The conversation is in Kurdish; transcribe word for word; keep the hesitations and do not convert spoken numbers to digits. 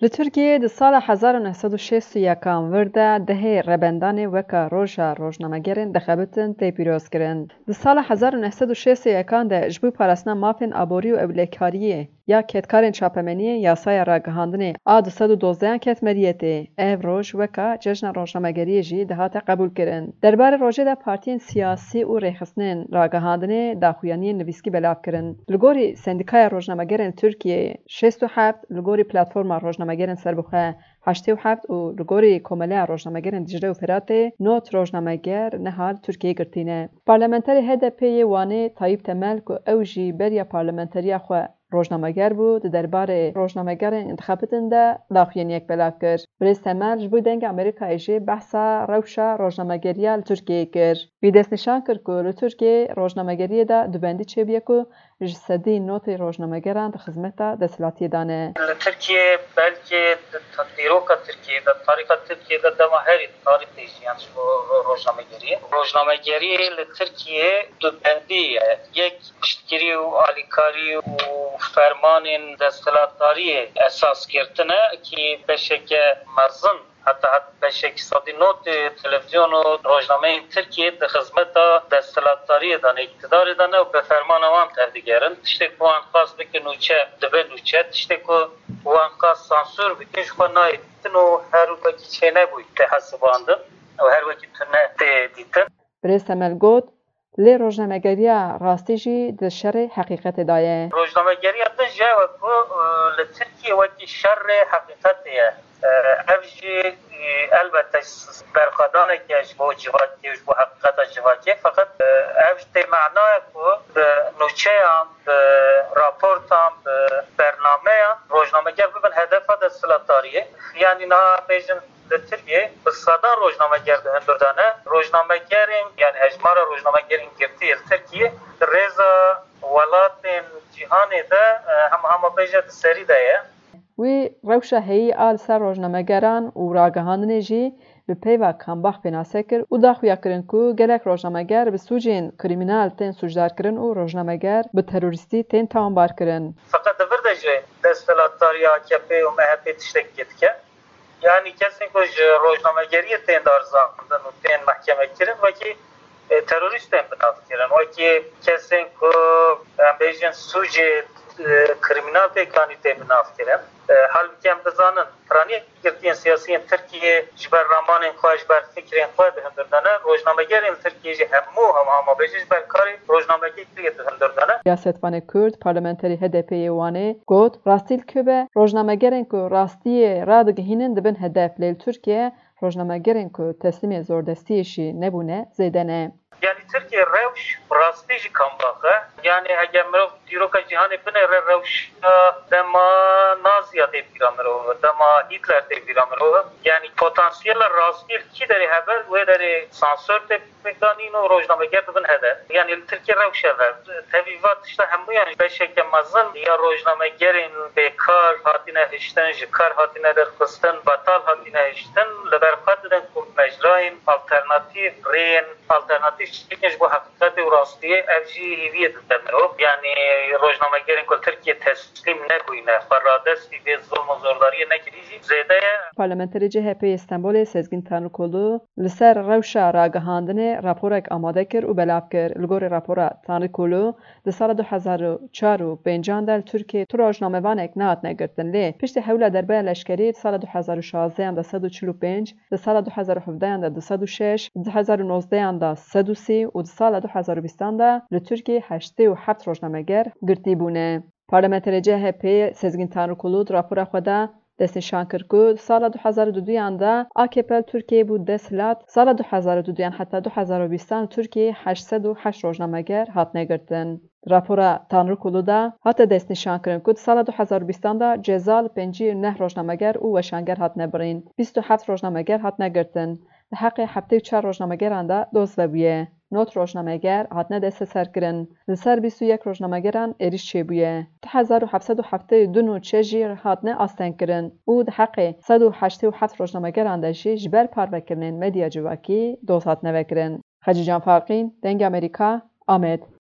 Li Tirkiyeyê di sala hezar û neh sed û şêst û yekan vir de dehê rebendanê weka Roja Rojnamegerên dixebitin tê pîrozkirin. Di sala hezar û neh sed û şêst û yekan de ji bo parastina mafên aborî û ewlekariyê ya kedkarên çapemeniyê yasaya ragihandinê a du sed û dozdehan ket meriyetê. Ev roj weka Cejna Rojnamegeriyê jî dihate qebûlkirin. Derbarê rojê de partiyên siyasî û rêxistinên ragihandinê daxuyaniyên nivîskî belav kirin. Li gorî Sendîkaya Rojnamegerên Tirkiyeyê şêst û heft, li gorî Platforma Rojnamegerên Serbixwe heştê û heft û li gorî Komeleya Rojnamegerên Dicle û Firatê nod rojnameger niha li Tirkiyeyê girtî ne. Parlamenterê H D P yê Wanê Tayyip Temel ku ew jî beriya parlamenteriya xwe rojnameger bû, di derbarê rojnamegerên dixebitin de daxuyaniyek belav kir. Birêz Temel ji bo Dengê Amerîkayê jî behsa rewşa rojnamegeriya li Tirkiyeyê kir. Wî destnîşan kir ku li Tirkiyeyê rojnamegeriyê de dubendî çêbûye ku ji sedî notê rojnamegeran di xizmeta desthilatiyê de ne. Li Tirkiyeyê belkî di dîroka Tirkiyeyê de, tarîxa Tirkiyeyê de dema herî tarîxê jiyan ji bo rojnamegeriyê. Rojnamegeriyê li Tirkiyeyê dubendî ye. Yek piştgirî û alîkarî û fermanên desthilatdariyê esas girtine, kî beşeke mezin, heta het beşekî sedî notê televîzyon û rojnameyên Tirkiyê di xizmeta desthilatdariyê de ne, îktidarê de ne û bi fermana wan tevdigerin. Tiştê ku wan xwest bike nûçe, dibe nûçe. Tiştê ku wan xwest sansûr bike, ji xwe nayê dîtin û her wekî çênebûyî tê hesibandin û her wekî tune tê dîtin. Birêz Temel got, lê rojnamegeriya rastî jî di şerê heqîqetê de ye. Rojnamegeriya din jî ew e ku, e, li Tirkiyê wekî şerê heqîqetê ye. E, ev jî, e, elbette s-, berxwedaneke ji bo civakê û ji bo heqîqeta civakê, feqet, e, ev jî tê manaya ku bi nûçeyan, bi raportan, bi bernameyan rojnameger bibin hedefa desthilatdariyê. Yanî niha bêjin li Tirkiyê bi sedan rojnameger di hundir de ne. Rojnamegerên, yanî hejmara rojnamegerên girtî li Tirkiyê di rêza welatên cîhanê de, e, hema hema bêje di serî de ye. Wî rewşa heyî a li ser rojnamegeran û ragihandinê jî bi peyva Kambak pênase kir û daxuya kirin ku gelek rojnameger bi sûcên krîmînal tên sûcdarkirin û rojnameger bi terorîstî tên tawanbarkirin. Feqet di vir de jî desthilatdariya A K P û M H P tiştekî dike. Yanî kesên ku ji rojnamegeriyê tên darizandin û tên mehkemekirin, wekî, e, terorîst tên binavkirin, wekî kesên ku em bêjin sûcê, e, krîmînal têk anî tên binavkirin. E, halbûkî em dizanin piraniyek girtiyên siyasiyên Tirkiyê ji ber ramanên xwe, ji ber fikrên xwe di hundir de ne. Rojnamegerên li Tirkiyê jî hemû hema hema bêje ji ber karê rojnamegeriyê di hundir de ne. Siyasetvanê Kurd, parlamenterê H D P yê Wanê got, rastî li ku be, rojnamegerên ku rastiyê radigihînin dibin hedef, lê li Tirkiye rojnamegerên ku teslîmê zordestiyê jî nebûne zêde ne. Yanî Tirkiye rewş rastî jî Kambak e. Yanî eger mirov dîroka cîhanê binêre, rewşa dema Naziya tê bîra mirov, dema Hitler tê bîra mirov. Yanî potansiyela rastî li kî derê hebe, wê derê sansor tê pêk danîn û rojnameger dibin hedef. Yanî li Tirkiye rewş ev e. Tevî va tişta hemûyan beşeke mezin ya rojnamegerên bêkar hatine hiştin, ji kar hatine derxistin, betal hatine hiştin, li ber xwe didin ku mecrayên alternatîf, rêyên alternatîf çêkin ji bo heqîqetê û rastiyê, ev jî hêviyê dide mirov. Yanî rojnamegerên ku li Tirkiye teslîm nebûyne, xwe radestî vê zilm û zordariyê nekirî jî zêde ye. Parlamenterê C H P yê Stenbolê Sezgîn Tanrikulu li ser rewşa ragihandinê raporek amade kir û belav kir. Li gorî rapora Tanrikulu, di sala du hezar û çar û pêncan de li Tirkiyê tu rojnamevanek nehatine girtin, lê piştî hewla derbeya leşkerî di sala du hezar û şazdehan de sed û çil û pênc, di sala du hezar û hevdehan de du sed û şeş, di du hezar û nozdehan de sed û sî û di sala du hezar û bîstan de li Tirkiyê heştê û heft rojnameger girtî bûne. Parlamenterê C H P Sezgîn Tanrikulu di rapora xwe de destnîşan kir ku di sala du hezar û duduyan de A K P li Tirkiyeyê bû desthilat, sala du hezar û duduyan heta du hezar û bîstan li Tirkiyeyê heşt sed û heşt rojnameger hatine girtin. Di rapora Tanrikulu de hate destnîşankirin ku di sala du hezar û bîstan de ceza li pêncî û neh rojnameger û weşanger hatine birîn, bîst û heft rojnameger hatine girtin. Di heqê heftê û çar rojnamegeran de doz vebûye. Nod rojnameger hatine desteserkirin. Li ser bîst û yek rojnamegeran êrîş çêbûye. Du hezar û heft sed û heftê û du nûçe jî hatine astengkirin û di heqê sed û heştê û heft rojnamegeran de jî ji ber parvekirinên medya civakî doz hatine vekirin. Xecîcan Farqîn, Dengê Amerîka, Amed.